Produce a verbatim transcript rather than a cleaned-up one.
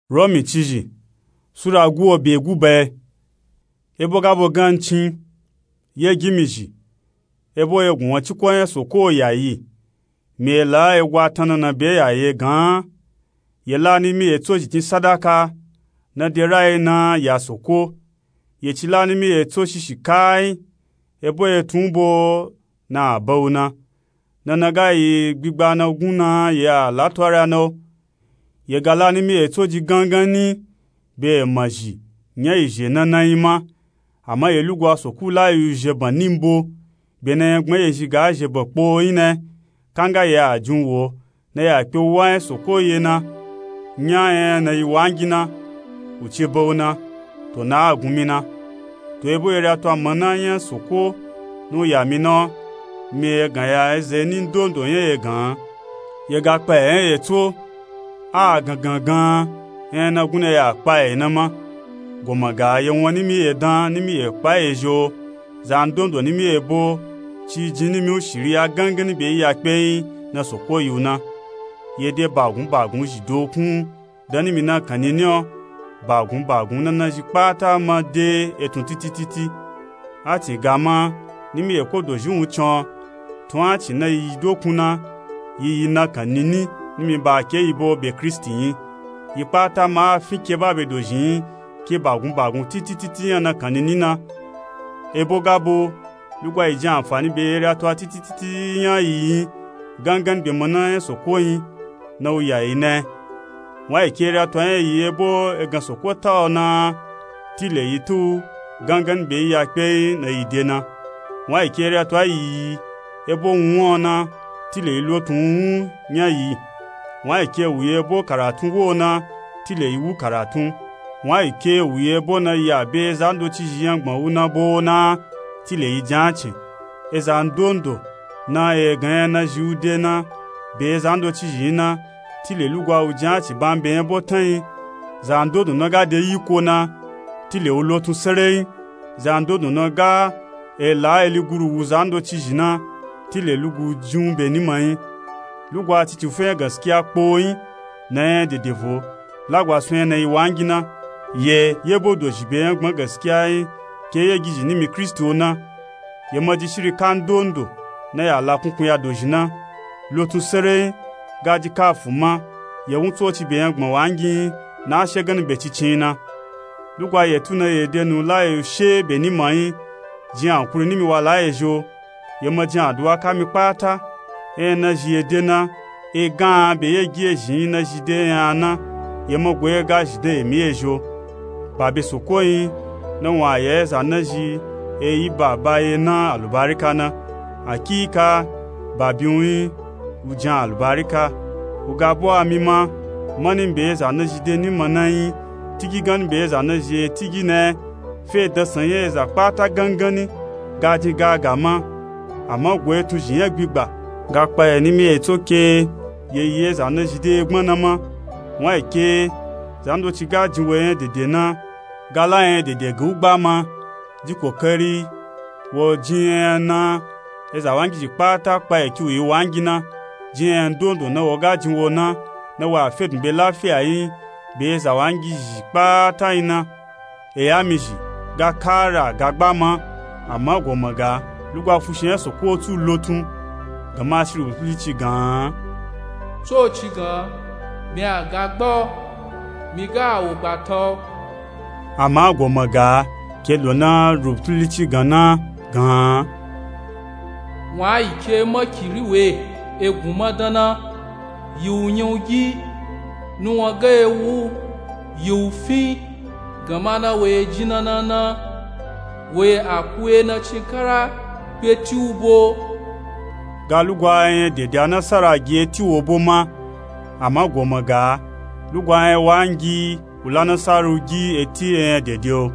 Romi cizhi sura guwo be guba. Ebo ga bo gan cin ye gimi zhi, ebo ye gun wan ciko nya soko yayi. Mi ye la ego atanna na be yayi gan. Ye la nimi ye tso zhi tin sadaka na de rayi na ya soko. Ye ci la nimi ye tso shishi kai, ebo ye tun bo na a ba u na. Nana ga yi gbigba na gun na ye a la to ara na o. Ye ga la nimi ye tso ji gangan ni be ye ma zhi nya yi zhe nana yi ma. Ama ye lugwa soko la yi u zhe ban ni mbo be na nya gbma ye zhi ga zhe ban kpo yi na. Kanga ye a jin wo na ya kpe u wa nya soko ye na. Nya nya na yi wangi na u ce ba u na. To na a gun mi na. To ebo ye ri a to a mana nya soko na u ya mi na o. Mi ye gan ya eza ni ndondo nya ye gan. Ye ga kpa ye nya ye tso a gangan gan nya na gun na ya kpa ye na ma. Goma ga ye wan nimi ye dan nimi ye kpa ye zhi o. Za ndondo nimi ye bo ci jin nimi u shiri a gangan ni be yi ya kpe yi na soko yi u na. Ye de bagun bagun zhi dokun dan nimi na kan nini o. Bagun bagun nana zhi kpata ma de etun titi titi. A cin ga ma nimi ye ko dozhi wun can. Tun a cin na yi dokun na yi yi na kan nini nimi ba ke yi bo be kristi yi. Yi kpata ma a fin ke ba be dozhi yi ke bagun bagun titi titi nya na kan nini na. Ebo ga bo lugwa yi jin anfani be ye ri a to a titi titi nya yi yi gangan be mana nya soko yi na u ya yi na. Wan yi ke ri a to nya yi ebo egan soko ta o na tile yi tu gangan be yi ya kpe yi na yi de na. Wan yi ke ri a to a yi yi ebo wun o na tile yi lotun wun nya yi. Wan yi ke wu yi ebo karatun wo o na tile yi wu karatun. Wan yi ke wu yi ebo na yi a be za ndoci zhi nya gbma u na bo o na tile yi jan a cin. Eza ndondo na ye gan nya na zhi u de na be za ndoci zhi yi na tile lugwa u jan a cin ban be nya bo tan yi. Za ndondo na ga de yi ko na tile u lotun sere yi. Za ndondo na ga e la eli guru wu za ndoci zhi na tile lugu jin u be ni ma yi. Lugwa titi u fe nya gaskiya kpo yi na nya dede vo. Lagwa sun nya na yi wangi na. Ye ye bo dozhi be nya gbma gaskiya yi ke ye gizhi nimi kristi o na. Ye ma ji shiri ka ndondo na ya la kunkun ya dozhi na. Lotun sere yi ga ji kafu ma ye wun tsoci be nya gbma wangi yi na a she gan ni be cicin yi na. Lugwa ye tu na ye de nu la ye u she be ni ma yi. Jin ankuri nimi wa la ye zhi o. Ye ma jin aduwa ka mi kpata. Nya na zhi ye de na e gan be ye gi ye zhi yi na zhi de nya na. Ye ma go ye ga zhi de ye mi ye zhi o. Ba be soko yi na wun a ya eza na zhi e yi ba ba ye na alubarika na. Akika ba bi wun yi u jan alubarika. U ga bo a mi ma mani be eza na zhi de ni ma na yi. Tigi gan be eza na zhi e tigi na fe dasan ye eza kpata gangan ni ga jin ga ga ma. Ama go etun zhi nya gbigba ga kpa ye nimi ye tso ke ye yi eza na zhi de gbma na ma. Wan yi ke za ndoci ga jin wo nya dede na ga la nya dede ga u gba ma. Ji kokari wo jin nya na eza wangi zhi kpata kpa ye ki u yi wangi na. Jin nya ndondo na wo ga jin wo na na wa fe dun be lafiya yi be eza wangi zhi kpata yi na. Eya mi zhi ga kara ga gba ma. Ama goma ga lugwa fushi nya soko tu lotun. Gama shiri wutuli ci gan. Tsoci gan mi a ga gba o. Mi ga a wo gbata o. Ama goma ga ke lo na rubutuli ci gan na gan. Wan yi ke makiri we egun ma dan na. Yi u nya u gi nu wan ga ewu yi u fi. Gama na wo ye jin na na na wo ye a ku ye na cin kara kpe ti u bo. Ga lugwa nya dede a nasara gi e ti wo bo ma. Ama goma ga lugwa nya wangi u la nasara u gi e ti nya dede o.